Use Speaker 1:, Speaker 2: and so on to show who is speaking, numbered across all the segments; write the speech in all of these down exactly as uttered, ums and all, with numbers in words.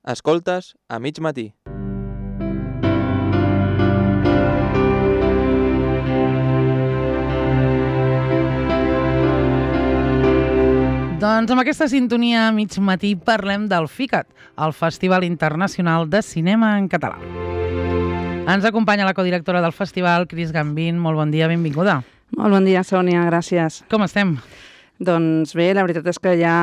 Speaker 1: Escoltes a mig matí.
Speaker 2: Doncs amb aquesta sintonia a mig matí parlem del FICAT, el Festival Internacional de Cinema en Català. Ens acompanya la codirectora del festival, Cris Gambín. Molt bon dia, benvinguda.
Speaker 3: Molt bon dia, Sònia, gràcies.
Speaker 2: Com estem?
Speaker 3: Doncs bé, la veritat és que ja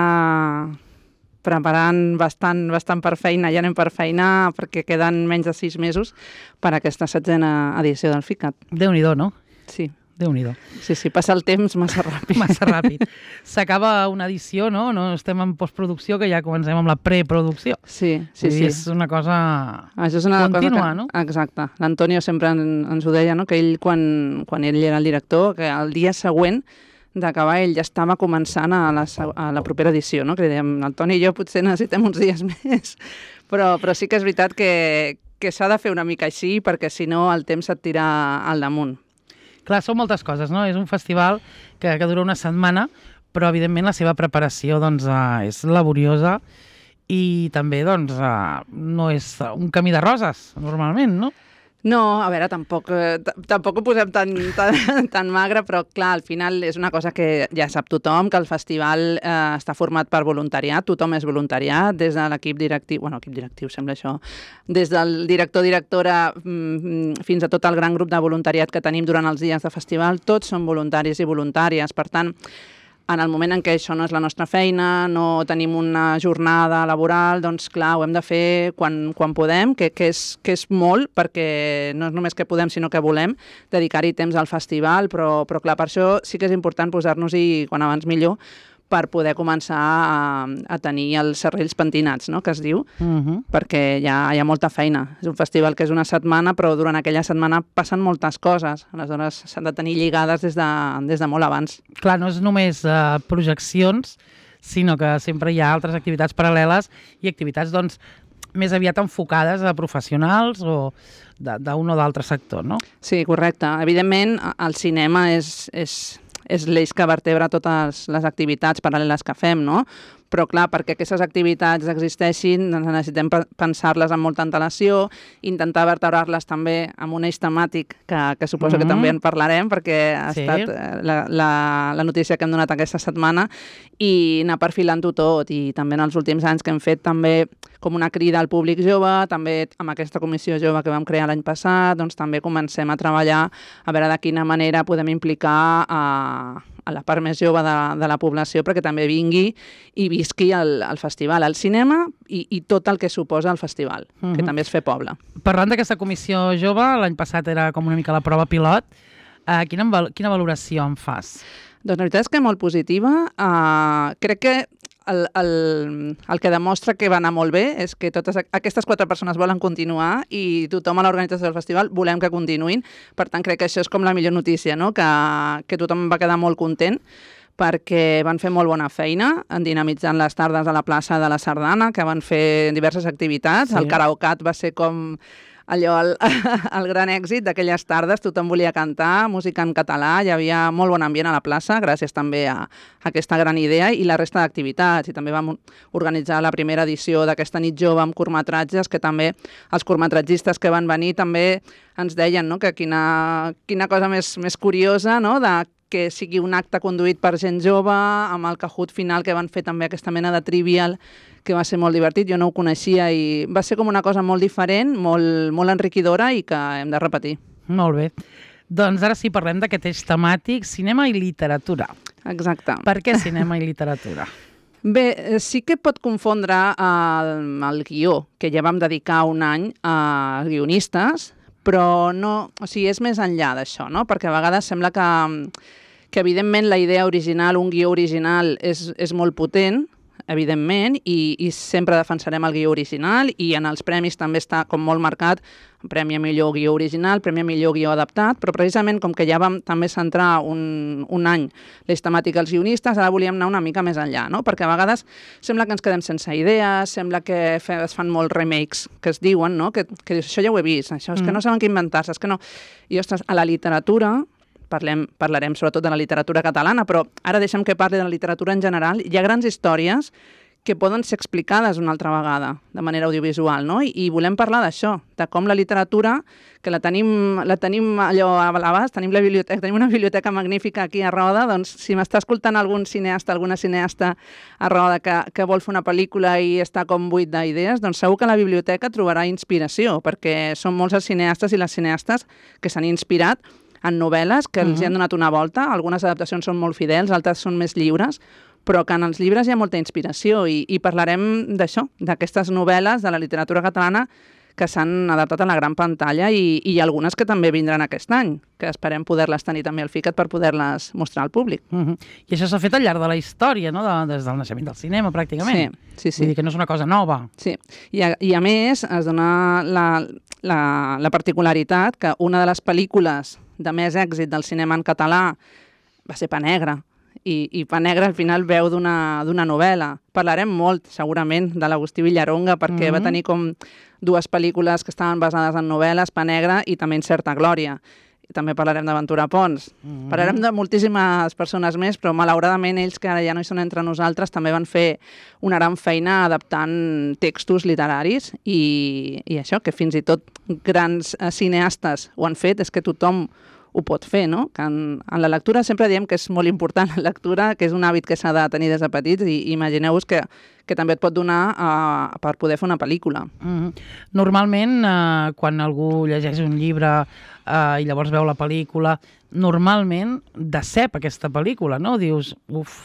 Speaker 3: preparant bastant, bastant per feina, ja anem per feina perquè queden menys de sis mesos per a aquesta setzena edició del FICAT.
Speaker 2: Déu-n'hi-do, no?
Speaker 3: Sí.
Speaker 2: Déu-n'hi-do.
Speaker 3: Sí, sí, passa el temps massa ràpid.
Speaker 2: Massa ràpid. S'acaba una edició, no? No estem en postproducció, que ja comencem amb la preproducció.
Speaker 3: Sí, sí, sí.
Speaker 2: És una cosa
Speaker 3: Això és una
Speaker 2: contínua,
Speaker 3: cosa que,
Speaker 2: no?
Speaker 3: Exacte. L'Antonio sempre en, ens ho deia, no? Que ell, quan, quan ell era el director, que el dia següent d'acabar ell ja estava començant a la, a la propera edició, no? Que dèiem, el Toni i jo potser necessitem uns dies més, però, però sí que és veritat que, que s'ha de fer una mica així, perquè si no el temps et tira al damunt.
Speaker 2: Clar, són moltes coses, no? És un festival que, que dura una setmana, però evidentment la seva preparació doncs, uh, és laboriosa i també doncs, uh, no és un camí de roses, normalment, no?
Speaker 3: No, a veure, tampoc, eh, tampoc ho posem tan, tan, tan magre, però clar, al final és una cosa que ja sap tothom, que el festival eh, està format per voluntariat, tothom és voluntariat, des de l'equip directiu, bueno, equip directiu sembla això, des del director-directora mm, fins a tot el gran grup de voluntariat que tenim durant els dies de festival, tots són voluntaris i voluntàries, per tant, en el moment en què això no és la nostra feina, no tenim una jornada laboral, doncs clar, ho hem de fer quan, quan podem, que, que, és, que és molt, perquè no és només que podem, sinó que volem dedicar-hi temps al festival, però, però clar, per això sí que és important posar-nos-hi quan abans millor, per poder començar a, a tenir els serrells pentinats, no?, que es diu, uh-huh. perquè hi ha, hi ha molta feina. És un festival que és una setmana, però durant aquella setmana passen moltes coses. Aleshores, s'han de tenir lligades des de, des de molt abans.
Speaker 2: Clar, no és només uh, projeccions, sinó que sempre hi ha altres activitats paral·leles i activitats, doncs, més aviat enfocades a professionals o d'un o d'altre sector, no?
Speaker 3: Sí, correcte. Evidentment, el cinema és... és és l'eix que vertebra totes les activitats paral·leles que fem, no? Però clar, perquè aquestes activitats existeixin, doncs necessitem pensar-les amb molta antelació, intentar vertebrar-les també amb un eix temàtic, que, que suposo mm-hmm. que també en parlarem, perquè ha sí. estat la, la, la notícia que hem donat aquesta setmana, i anar perfilant-ho tot. I també en els últims anys que hem fet també com una crida al públic jove, també amb aquesta comissió jove que vam crear l'any passat, doncs també comencem a treballar a veure de quina manera podem implicar a, a la part més jove de, de la població perquè també vingui i visqui el, el festival, el cinema i, i tot el que suposa el festival, uh-huh. que també és fer poble.
Speaker 2: Parlant d'aquesta comissió jove, l'any passat era com una mica la prova pilot, uh, quina, quina valoració en fas?
Speaker 3: Doncs la veritat és que molt positiva. Uh, crec que El, el, el que demostra que va anar molt bé és que totes aquestes quatre persones volen continuar i tothom a l'organització del festival volem que continuïn. Per tant, crec que això és com la millor notícia, no? que, que tothom va quedar molt content perquè van fer molt bona feina en dinamitzant les tardes a la plaça de la Sardana, que van fer diverses activitats. Sí. El karaoke va ser com allò, el, el gran èxit d'aquelles tardes, tothom volia cantar, música en català, hi havia molt bon ambient a la plaça, gràcies també a, a aquesta gran idea i la resta d'activitats. I també vam organitzar la primera edició d'aquesta nit jove amb curtmetratges, que també els curtmetratgistes que van venir també ens deien, no?, que quina, quina cosa més, més curiosa, no?, de que sigui un acte conduït per gent jove, amb el Kahoot final que van fer també aquesta mena de trivial, que va ser molt divertit, jo no ho coneixia i va ser com una cosa molt diferent, molt, molt enriquidora i que hem de repetir.
Speaker 2: Molt bé. Doncs ara sí, parlem d'aquest eix temàtic, cinema i literatura.
Speaker 3: Exacte.
Speaker 2: Per què cinema i literatura?
Speaker 3: Bé, sí que pot confondre el, el guió, que ja vam dedicar un any a guionistes, però no, o sigui, és més enllà d'això, no? Perquè a vegades sembla que, que evidentment la idea original, un guió original és, és molt potent, evidentment, i, i sempre defensarem el guió original i en els premis també està com molt marcat Premi a millor guió original, Premi a millor guió adaptat, però precisament com que ja vam també centrar un, un any l'eix temàtic als guionistes, ara volíem anar una mica més enllà, no? Perquè a vegades sembla que ens quedem sense idees, sembla que fe, es fan molts remakes que es diuen, no? Que, que dius, això ja ho he vist, això és mm. que no saben què inventar-se, és que no... I, ostres, a la literatura, parlem, parlarem sobretot de la literatura catalana, però ara deixem que parli de la literatura en general, hi ha grans històries que poden ser explicades una altra vegada, de manera audiovisual, no? I, i volem parlar d'això, de com la literatura, que la tenim, la tenim allò a l'abast, tenim la biblioteca, tenim una biblioteca magnífica aquí a Roda, doncs si m'està escoltant algun cineasta, alguna cineasta a Roda que, que vol fer una pel·lícula i està com buit d'idees, doncs segur que a la biblioteca trobarà inspiració, perquè són molts els cineastes i les cineastes que s'han inspirat en novel·les que els uh-huh. hi han donat una volta. Algunes adaptacions són molt fidels, altres són més lliures, però que en els llibres hi ha molta inspiració i, i parlarem d'això, d'aquestes novel·les de la literatura catalana que s'han adaptat a la gran pantalla i, i algunes que també vindran aquest any, que esperem poder-les tenir també al FICAT per poder-les mostrar al públic.
Speaker 2: Uh-huh. I això s'ha fet al llarg de la història, no? De, des del naixement del cinema, pràcticament.
Speaker 3: Sí, sí, sí.
Speaker 2: Vull dir que no és una cosa nova.
Speaker 3: Sí, i a, i a més es dona la, la, la particularitat que una de les pel·lícules de més èxit del cinema en català va ser Pa Negra, i, i Pa Negra al final veu d'una d'una novel·la. Parlarem molt, segurament, de l'Agustí Villaronga, perquè mm-hmm. va tenir com dues pel·lícules que estaven basades en novel·les, Pa Negra i també en Certa Glòria. I també parlarem d'Aventura Pons. Mm-hmm. Parlarem de moltíssimes persones més, però malauradament ells, que ara ja no hi són entre nosaltres, també van fer una gran feina adaptant textos literaris i, i això, que fins i tot grans cineastes ho han fet, és que tothom ho pot fer, no? Que en, en la lectura sempre diem que és molt important la lectura, que és un hàbit que s'ha de tenir des de petits i, i imagineu-vos que, que també et pot donar uh, per poder fer una pel·lícula.
Speaker 2: Mm-hmm. Normalment, uh, quan algú llegeix un llibre uh, i llavors veu la pel·lícula, normalment decep aquesta pel·lícula, no? Dius, uf...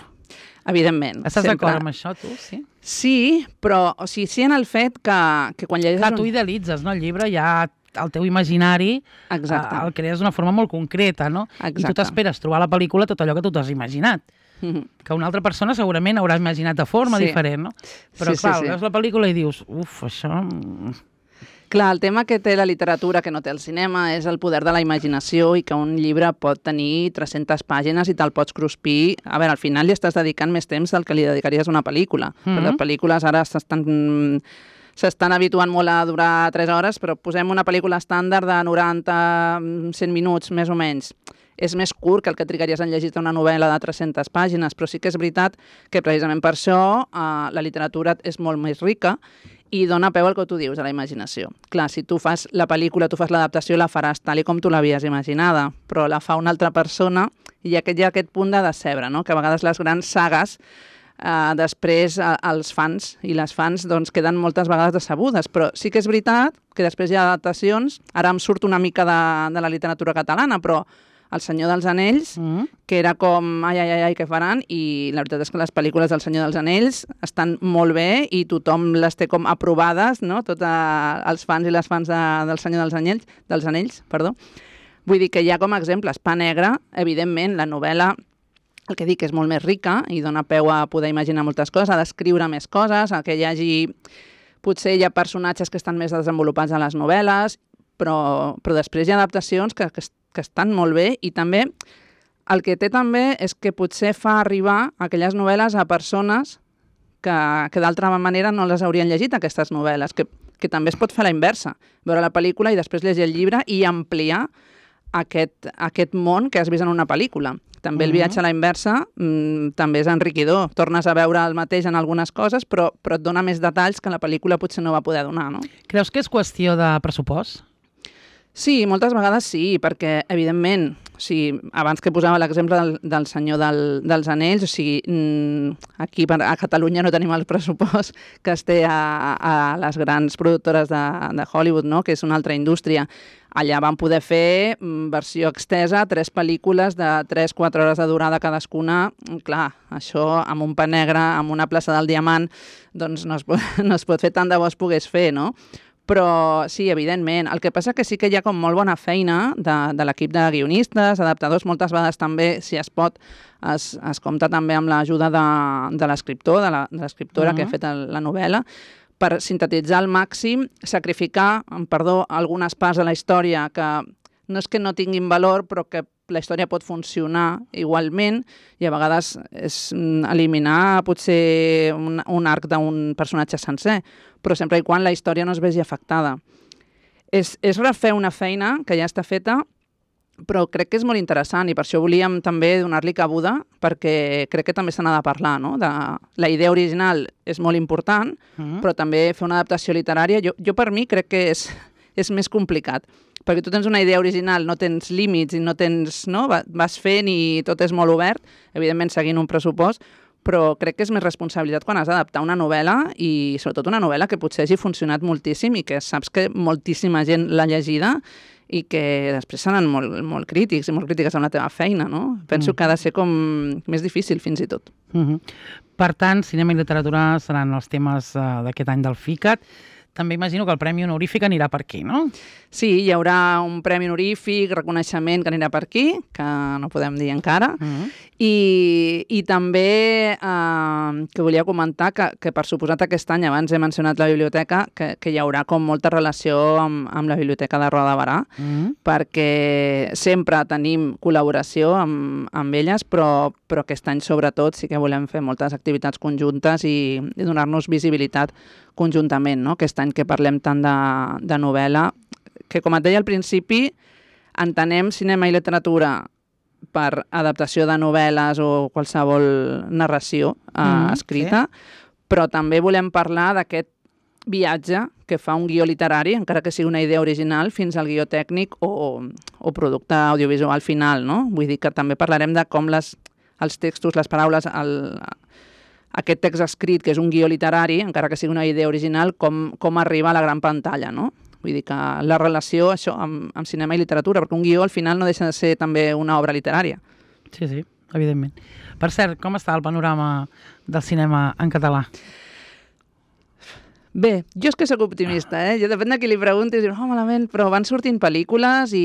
Speaker 3: Evidentment.
Speaker 2: Estàs d'acord amb això, tu? Sí?
Speaker 3: Sí, però o sigui, sí en el fet que, que quan llegeixes...
Speaker 2: Clar, tu
Speaker 3: un...
Speaker 2: idealitzes, no? El llibre ja... el teu imaginari
Speaker 3: Exacte.
Speaker 2: el crees d'una forma molt concreta, no?
Speaker 3: Exacte.
Speaker 2: I tu t'esperes trobar a la pel·lícula tot allò que tu t'has imaginat. Mm-hmm. Que una altra persona segurament haurà imaginat de forma sí. diferent, no? Però
Speaker 3: sí,
Speaker 2: clar,
Speaker 3: sí, sí.
Speaker 2: veus la pel·lícula i dius, uf, això...
Speaker 3: Clar, el tema que té la literatura, que no té el cinema, és el poder de la imaginació i que un llibre pot tenir tres-centes pàgines i te'l pots cruspir. A veure, al final li estàs dedicant més temps del que li dedicaries a una pel·lícula. Mm-hmm. Però les pel·lícules ara s'estan... s'estan habituant molt a durar tres hores, però posem una pel·lícula estàndard de noranta a cent minuts, més o menys. És més curt que el que trigaries en llegir una novel·la de tres-centes pàgines, però sí que és veritat que precisament per això eh, la literatura és molt més rica i dona peu al que tu dius, a la imaginació. Clar, si tu fas la pel·lícula, tu fas l'adaptació, la faràs tal i com tu l'havies imaginada, però la fa una altra persona i aquest, hi ha aquest punt de decebre, no? Que a vegades les grans sagues Uh, després uh, els fans i les fans doncs, queden moltes vegades decebudes, però sí que és veritat que després hi ha adaptacions, ara em surt una mica de, de la literatura catalana, però El Senyor dels Anells, mm. que era com ai, ai, ai, ai, què faran, i la veritat és que les pel·lícules del Senyor dels Anells estan molt bé i tothom les té com aprovades, no? Tots uh, els fans i les fans de, del Senyor dels Anells, dels Anells, perdó. Vull dir que hi ha com a exemples. Pa Negra, evidentment, la novel·la el que dic és molt més rica i dona peu a poder imaginar moltes coses, a descriure més coses, a que hi hagi... Potser hi ha personatges que estan més desenvolupats a les novel·les, però, però després hi ha adaptacions que, que, que estan molt bé i també el que té també és que potser fa arribar aquelles novel·les a persones que, que d'altra manera no les haurien llegit, aquestes novel·les, que, que també es pot fer a la inversa, veure la pel·lícula i després llegir el llibre i ampliar aquest, aquest món que has vist en una pel·lícula. També el viatge a la inversa mmm, també és enriquidor. Tornes a veure el mateix en algunes coses, però, però et dona més detalls que la pel·lícula potser no va poder donar, no?
Speaker 2: Creus que és qüestió de pressupost?
Speaker 3: Sí, moltes vegades sí, perquè, evidentment, o sigui, abans que posava l'exemple del, del Senyor del, dels Anells, o sigui, aquí a Catalunya no tenim el pressupost que es té a, a les grans productores de, de Hollywood, no? Que és una altra indústria. Allà van poder fer versió extesa, tres pel·lícules de tres a quatre hores de durada cadascuna. Clar, això amb un Pa Negre, amb una plaça del Diamant, doncs no es pot, no es pot fer tant de bo es pogués fer, no? Però sí, evidentment. El que passa que sí que hi ha com molt bona feina de, de l'equip de guionistes, adaptadors, moltes vegades també, si es pot, es, es compta també amb l'ajuda de, de l'escriptor, de l'escriptora uh-huh. que ha fet el, la novel·la, per sintetitzar al màxim, sacrificar, amb perdó, algunes parts de la història que no és que no tinguin valor, però que la història pot funcionar igualment i a vegades és eliminar potser un, un arc d'un personatge sencer, però sempre i quan la història no es vegi afectada. És, és refer una feina que ja està feta però crec que és molt interessant i per això volíem també donar-li cabuda, perquè crec que també se n'ha de parlar, no? De, la idea original és molt important, mm. però també fer una adaptació literària, jo, jo per mi crec que és, és més complicat, perquè tu tens una idea original, no tens límits i no tens, no? Vas fent i tot és molt obert, evidentment seguint un pressupost, però crec que és més responsabilitat quan has d'adaptar una novel·la i sobretot una novel·la que potser hagi funcionat moltíssim i que saps que moltíssima gent l'ha llegida i que després seran molt, molt crítics i molt crítiques amb la teva feina, no? Penso mm. que ha de ser com més difícil fins i tot.
Speaker 2: Mm-hmm. Per tant, cinema i literatura seran els temes uh, d'aquest any del FICAT. També imagino que el Premi Honorífic anirà per aquí, no?
Speaker 3: Sí, hi haurà un Premi Honorífic, reconeixement que anirà per aquí, que no podem dir encara, uh-huh. I, i també eh, que volia comentar que, que per suposat aquest any, abans he mencionat la biblioteca, que, que hi haurà com molta relació amb, amb la Biblioteca de Roda de Barà, uh-huh. perquè sempre tenim col·laboració amb, amb elles, però, però aquest any sobretot sí que volem fer moltes activitats conjuntes i, i donar-nos visibilitat conjuntament, no? Aquest any que parlem tant de, de novel·la, que com et deia al principi, entenem cinema i literatura per adaptació de novel·les o qualsevol narració eh, mm, escrita, sí. Però també volem parlar d'aquest viatge que fa un guió literari, encara que sigui una idea original, fins al guió tècnic o, o producte audiovisual final, no? Vull dir que també parlarem de com les, els textos, les paraules, el, aquest text escrit, que és un guió literari, encara que sigui una idea original, com, com arriba a la gran pantalla, no? Vull dir que la relació això amb, amb cinema i literatura, perquè un guió al final no deixa de ser també una obra literària.
Speaker 2: Sí, sí, evidentment. Per cert, com està el panorama del cinema en català?
Speaker 3: Bé, jo és que sóc optimista, eh? Jo depèn de qui li preguntis, dius, oh, malament, però van sortint pel·lícules i,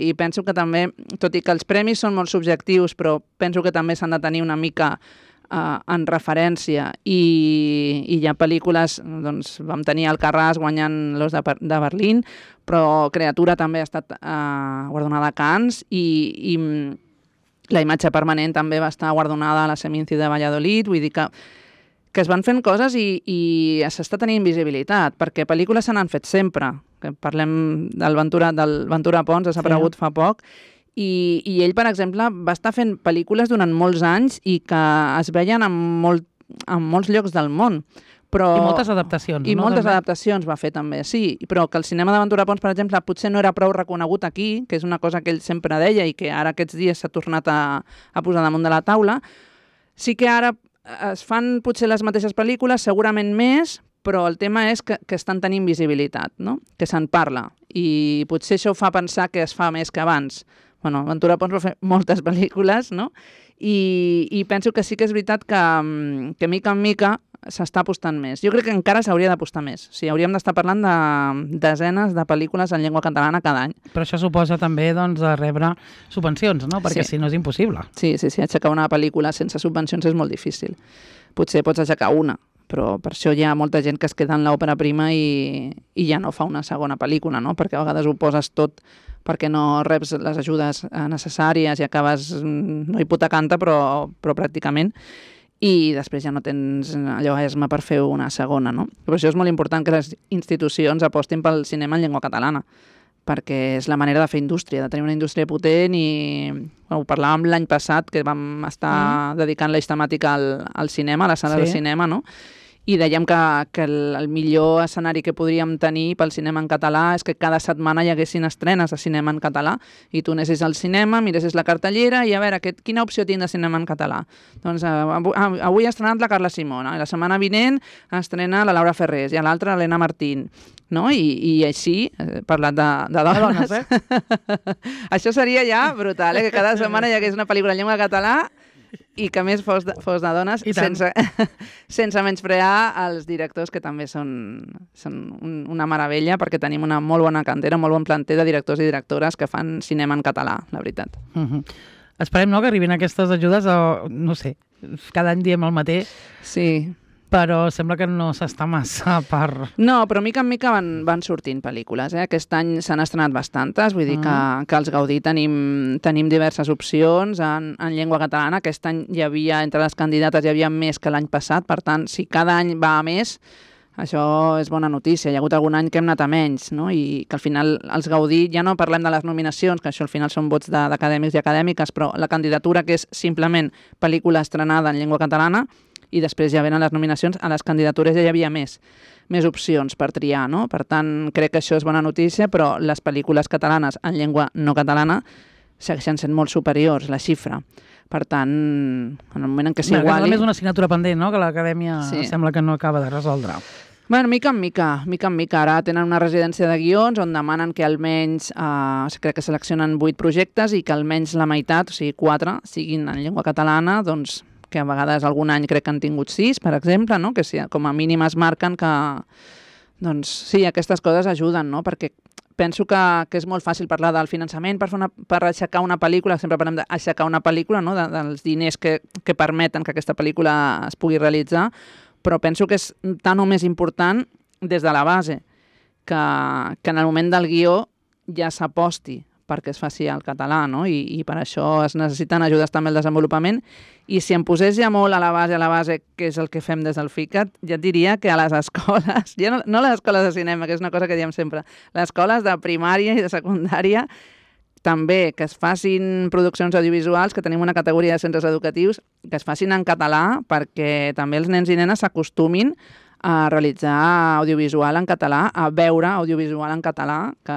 Speaker 3: i penso que també, tot i que els premis són molt subjectius, però penso que també s'han de tenir una mica Uh, en referència i, i hi ha pel·lícules, doncs vam tenir Alcarràs guanyant l'Os de, de Berlín, però Creatura també ha estat uh, guardonada a Cannes i, i La imatge permanent també va estar guardonada a la Seminci de Valladolid, vull dir que, que es van fent coses i, i s'està tenint visibilitat, perquè pel·lícules se n'han fet sempre, que parlem del Ventura, del Ventura Pons, ha aparegut sí. fa poc, I, i ell, per exemple, va estar fent pel·lícules durant molts anys i que es veien en, molt, en molts llocs del món. Però...
Speaker 2: I moltes adaptacions.
Speaker 3: I
Speaker 2: no?
Speaker 3: moltes
Speaker 2: també.
Speaker 3: adaptacions va fer també, sí. Però que el cinema de Ventura Pons, per exemple, potser no era prou reconegut aquí, que és una cosa que ell sempre deia i que ara aquests dies s'ha tornat a, a posar damunt de la taula. Sí que ara es fan potser les mateixes pel·lícules, segurament més, però el tema és que, que estan tenint visibilitat, no? Que se'n parla. I potser això fa pensar que es fa més que abans. Bueno, Ventura Pons va fer moltes pel·lícules, no? I, i penso que sí que és veritat que, que mica en mica s'està apostant més. Jo crec que encara s'hauria d'apostar més. O sigui, hauríem d'estar parlant de desenes de pel·lícules en llengua catalana cada any.
Speaker 2: Però això suposa també doncs, rebre subvencions, no? Perquè sí. si no és impossible.
Speaker 3: Sí, sí, sí, aixecar una pel·lícula sense subvencions és molt difícil. Potser pots aixecar una, però per això hi ha molta gent que es queda en l'òpera prima i, i ja no fa una segona pel·lícula, no? Perquè a vegades ho poses tot perquè no reps les ajudes necessàries i acabes no hipotecant-te, però, però pràcticament, i després ja no tens allò esma per fer una segona, no? Per això és molt important que les institucions apostin pel cinema en llengua catalana, perquè és la manera de fer indústria, de tenir una indústria potent i bueno, ho parlàvem l'any passat, que vam estar mm. dedicant l'eix temàtica al, al cinema, a la sala sí. de cinema, no? I dèiem que, que el, el millor escenari que podríem tenir pel cinema en català és que cada setmana hi haguessin estrenes de cinema en català i tu anessis al cinema, miressis la cartellera i a veure, que, quina opció tinc de cinema en català? Doncs uh, avui ha estrenat la Carla Simona, i la setmana vinent estrena la Laura Ferrés i a l'altra l'Helena Martín. No? I, i així, he parlat de, de dones, de dones eh? Això seria ja brutal, eh? Que cada setmana hi hagués una pel·lícula en llengua català i que més fos de, fos de dones, sense, sense menysprear els directors, que també són, són un, una meravella, perquè tenim una molt bona cantera, un molt bon planter de directors i directores que fan cinema en català, la veritat.
Speaker 2: Uh-huh. Esperem, no?, que arribin aquestes ajudes, o, no sé, cada any diem el mateix.
Speaker 3: Sí.
Speaker 2: Però sembla que no s'està massa per...
Speaker 3: No, però mica en mica van, van sortint pel·lícules. Eh? Aquest any s'han estrenat bastantes, vull dir que, que als Gaudí tenim, tenim diverses opcions en, en llengua catalana. Aquest any hi havia, entre les candidates, hi havia més que l'any passat, per tant, si cada any va a més, Això és bona notícia. Hi ha hagut algun any que hem anat a menys, no? I que al final els Gaudí, ja no parlem de les nominacions, que això al final són vots d'acadèmics i acadèmiques, però la candidatura, que és simplement pel·lícula estrenada en llengua catalana, i després ja venen les nominacions, a les candidatures ja hi havia més, més opcions per triar, no? Per tant, crec que això és bona notícia, però les pel·lícules catalanes en llengua no catalana segueixen sent molt superiors, la xifra. Per tant, en el moment en què s'iguali...
Speaker 2: Bé, és una assignatura pendent, no?, que l'acadèmia
Speaker 3: sí.
Speaker 2: sembla que no acaba de resoldre.
Speaker 3: Bueno, mica en mica, mica en mica. Ara tenen una residència de guions on demanen que almenys, eh, crec que seleccionen vuit projectes i que almenys la meitat, o sigui, quatre, siguin en llengua catalana, doncs que a vegades algun any crec que han tingut sis, per exemple, no? Que si, com a mínim es marquen que... Doncs sí, aquestes coses ajuden, no? Perquè penso que, que és molt fàcil parlar del finançament per, fer una, per aixecar una pel·lícula, sempre parlem d'aixecar una pel·lícula, no? de, dels diners que, que permeten que aquesta pel·lícula es pugui realitzar, però penso que és tan o més important des de la base, que, que en el moment del guió ja s'aposti perquè es faci al català, no? I, i per això es necessiten ajudes també al desenvolupament. I si em posés ja molt a la base, a la base, que és el que fem des del FICAT, ja et diria que a les escoles, ja no, no les escoles de cinema, que és una cosa que diem sempre, les escoles de primària i de secundària, també que es facin produccions audiovisuals, que tenim una categoria de centres educatius, que es facin en català perquè també els nens i nenes s'acostumin a realitzar audiovisual en català, a veure audiovisual en català, que,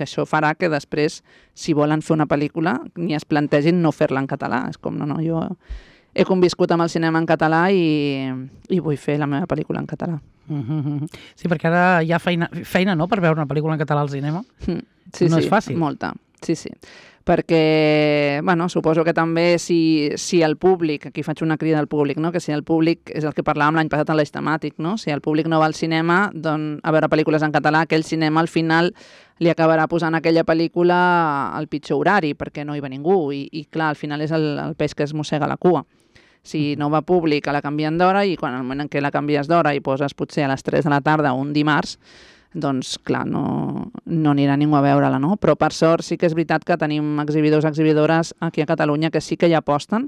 Speaker 3: que això farà que després, si volen fer una pel·lícula, ni es plantegin no fer-la en català. És com, no, no, jo he conviscut amb el cinema en català i, i vull fer la meva pel·lícula en català.
Speaker 2: Mm-hmm. Sí, perquè ara hi ha feina, feina no?, per veure una pel·lícula en català al cinema.
Speaker 3: Mm. Sí,
Speaker 2: no
Speaker 3: sí,
Speaker 2: és fàcil.
Speaker 3: Molta. Sí, sí. Perquè, bueno, suposo que també si, si el públic, aquí faig una crida al públic, no? Que si el públic, és el que parlàvem l'any passat en l'eix temàtic, no? Si el públic no va al cinema doncs, a veure pel·lícules en català, aquell cinema al final li acabarà posant aquella pel·lícula al pitjor horari, perquè no hi va ningú, i, i clar, al final és el, el peix que es mossega la cua. Si no va públic, la canvien d'hora, i quan al moment en què la canvies d'hora i poses potser a les tres de la tarda un dimarts, doncs, clar, no, no anirà ningú a veure-la, no? Però, per sort, sí que és veritat que tenim exhibidors, exhibidores aquí a Catalunya que sí que hi aposten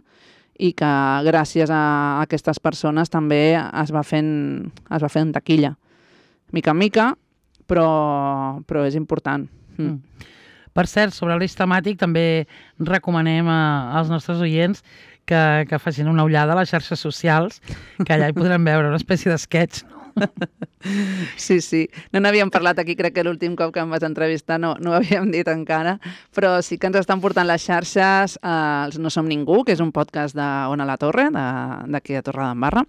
Speaker 3: i que gràcies a aquestes persones també es va fent, es va fent taquilla. Mica en mica, però, però és important. Mm.
Speaker 2: Per cert, sobre l'eix temàtic també recomanem a, als nostres oients que, que facin una ullada a les xarxes socials, que allà hi podrem veure una espècie d'esquetx, no?
Speaker 3: Sí, sí. No n'havíem parlat aquí, crec que l'últim cop que em vas entrevistar no, no ho havíem dit encara, però sí que ens estan portant les xarxes eh, els No Som Ningú, que és un podcast d'Ona la Torre, d'aquí de Torredembarra,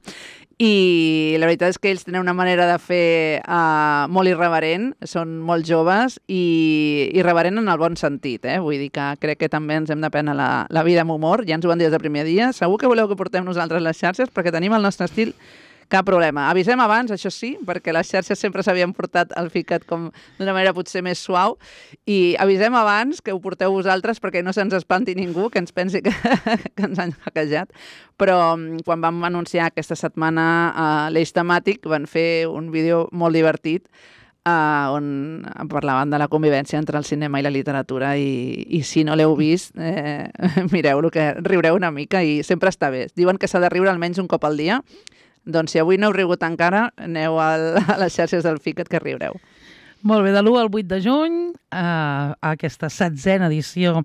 Speaker 3: i la veritat és que ells tenen una manera de fer uh, molt irreverent, són molt joves i irreverent en el bon sentit, eh? Vull dir que crec que també ens hem de prendre la, la vida amb humor, ja ens ho van dir des del primer dia. Segur que voleu que portem nosaltres les xarxes perquè tenim el nostre estil. Cap problema. Avisem abans, això sí, perquè les xarxes sempre s'havien portat al FICAT com d'una manera potser més suau, i avisem abans que ho porteu vosaltres perquè no se'ns espanti ningú, que ens pensi que, que ens han hackejat. Però quan vam anunciar aquesta setmana uh, l'eix temàtic, van fer un vídeo molt divertit uh, on parlaven de la convivència entre el cinema i la literatura, i, i si no l'heu vist, eh, mireu-lo, que riureu una mica i sempre està bé. Diuen que s'ha de riure almenys un cop al dia. Doncs si avui no heu rigut encara, aneu al, a les xarxes del FICAT que riureu.
Speaker 2: Molt bé, de l'u al vuit de juny, eh, a aquesta setzena edició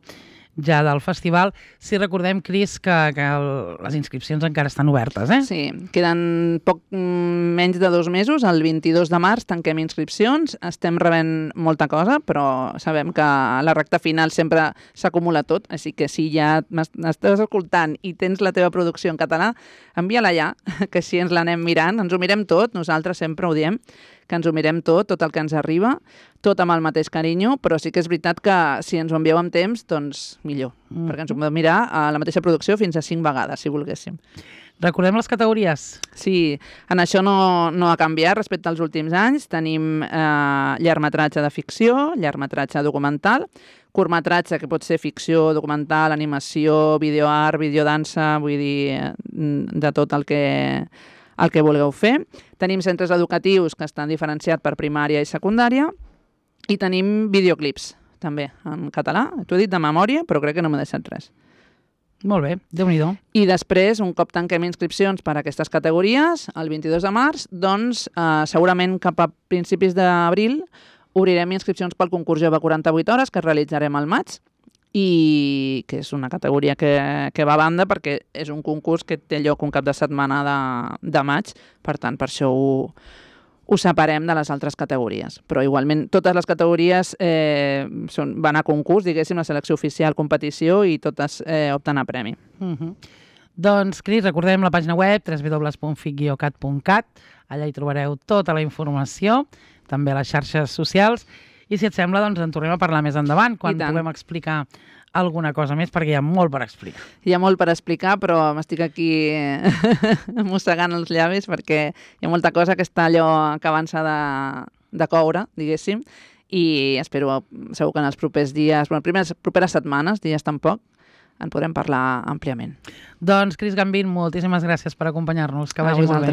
Speaker 2: ja del festival. Sí, recordem, Cris, que, que el, les inscripcions encara estan obertes, eh?
Speaker 3: Sí, queden poc menys de dos mesos. El vint-i-dos de març tanquem inscripcions. Estem rebent molta cosa, però sabem que a la recta final sempre s'acumula tot, així que si ja m'estàs escoltant i tens la teva producció en català, envia-la ja, que així ens l'anem mirant. Ens ho mirem tot, nosaltres sempre ho diem, que ens ho mirem tot, tot el que ens arriba, tot amb el mateix carinyo, però sí que és veritat que si ens ho envieu amb temps, doncs millor, mm. perquè ens ho podem mirar a la mateixa producció fins a cinc vegades, si volguéssim.
Speaker 2: Recordem les categories.
Speaker 3: Sí, en això no, no ha canviat respecte als últims anys. Tenim eh, llargmetratge de ficció, llargmetratge documental, curtmetratge, que pot ser ficció, documental, animació, videoart, videodansa, vull dir, de tot el que... el que vulgueu fer. Tenim centres educatius que estan diferenciats per primària i secundària, i tenim videoclips, també, en català. T'ho he dit de memòria, però crec que no m'he deixat res.
Speaker 2: Molt bé, Déu-n'hi-do.
Speaker 3: I després, un cop tanquem inscripcions per a aquestes categories, el vint-i-dos de març, doncs eh, segurament cap a principis d'abril obrirem inscripcions pel concurs Jove quaranta-vuit hores que realitzarem al maig, i que és una categoria que, que va a banda perquè és un concurs que té lloc un cap de setmana de, de maig, per tant, per això ho, ho separem de les altres categories. Però igualment totes les categories eh, són, van a concurs, diguéssim, la selecció oficial, competició, i totes eh, opten a premi.
Speaker 2: Uh -huh. Doncs, Cris, recordem la pàgina web w w w punt fic guió cat punt cat, allà hi trobareu tota la informació, també a les xarxes socials, i si et sembla, doncs en tornem a parlar més endavant, quan puguem explicar alguna cosa més, perquè hi ha molt per explicar.
Speaker 3: Hi ha molt per explicar, però m'estic aquí mossegant els llavis perquè hi ha molta cosa que està allò acabant-se de, de coure, diguéssim, i espero, segur que en els propers dies, bueno, primeres, properes setmanes, dies tampoc, en podrem parlar àmpliament.
Speaker 2: Doncs, Cris Gambín, moltíssimes gràcies per acompanyar-nos. Que vagi molt bé.